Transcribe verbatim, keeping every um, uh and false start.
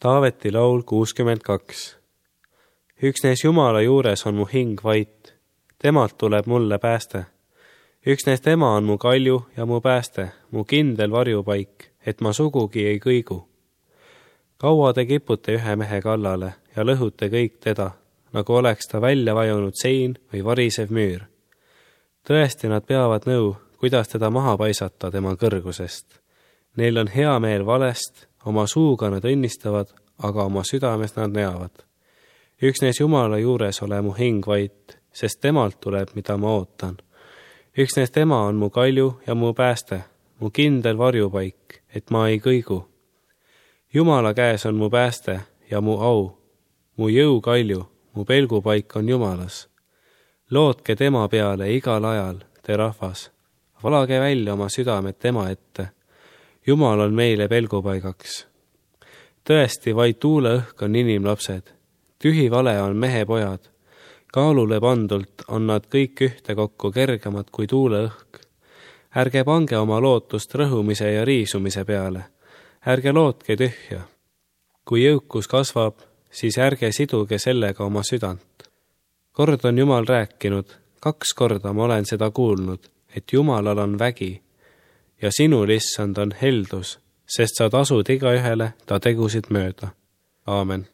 Taaveti laul kuuskümmend kaks. Üksnes Jumala juures on mu hing vait, temalt tuleb mulle pääste. Üksnes tema on mu kalju ja mu pääste, mu kindel varjupaik, et ma sugugi ei kõigu. Kaua te kipute ühe mehe kallale ja lõhute kõik teda, nagu oleks ta välja vajunud sein või varisev müür. Tõesti nad peavad nõu, kuidas teda maha paisata tema kõrgusest. Neil on hea meel valest, oma suuga nad õnnistavad, aga oma südames nad neavad. Üksnes Jumala juures ole mu hing vait, sest temalt tuleb, mida ma ootan. Üksnes tema on mu kalju ja mu pääste, mu kindel varjupaik, et ma ei kõigu. Jumala käes on mu pääste ja mu au, mu jõu kalju, mu pelgupaik on Jumalas. Lootke tema peale igal ajal, te rahvas. Valage välja oma südamed tema ette. Jumal on meile pelgupaigaks. Tõesti, vaid tuuleõhk on inimlapsed. Tühi vale on mehe pojad. Kaalule pandult on nad kõik ühte kokku kergemad kui tuuleõhk. Ärge pange oma lootust rõhumise ja riisumise peale. Ärge lootke tühja. Kui jõukus kasvab, siis ärge siduge sellega oma südant. Kord on Jumal rääkinud, kaks korda ma olen seda kuulnud, et Jumalal on vägi ja sinul, issand, on heldus, sest sa tasud igaühele ta tegusid mööda. Aamen.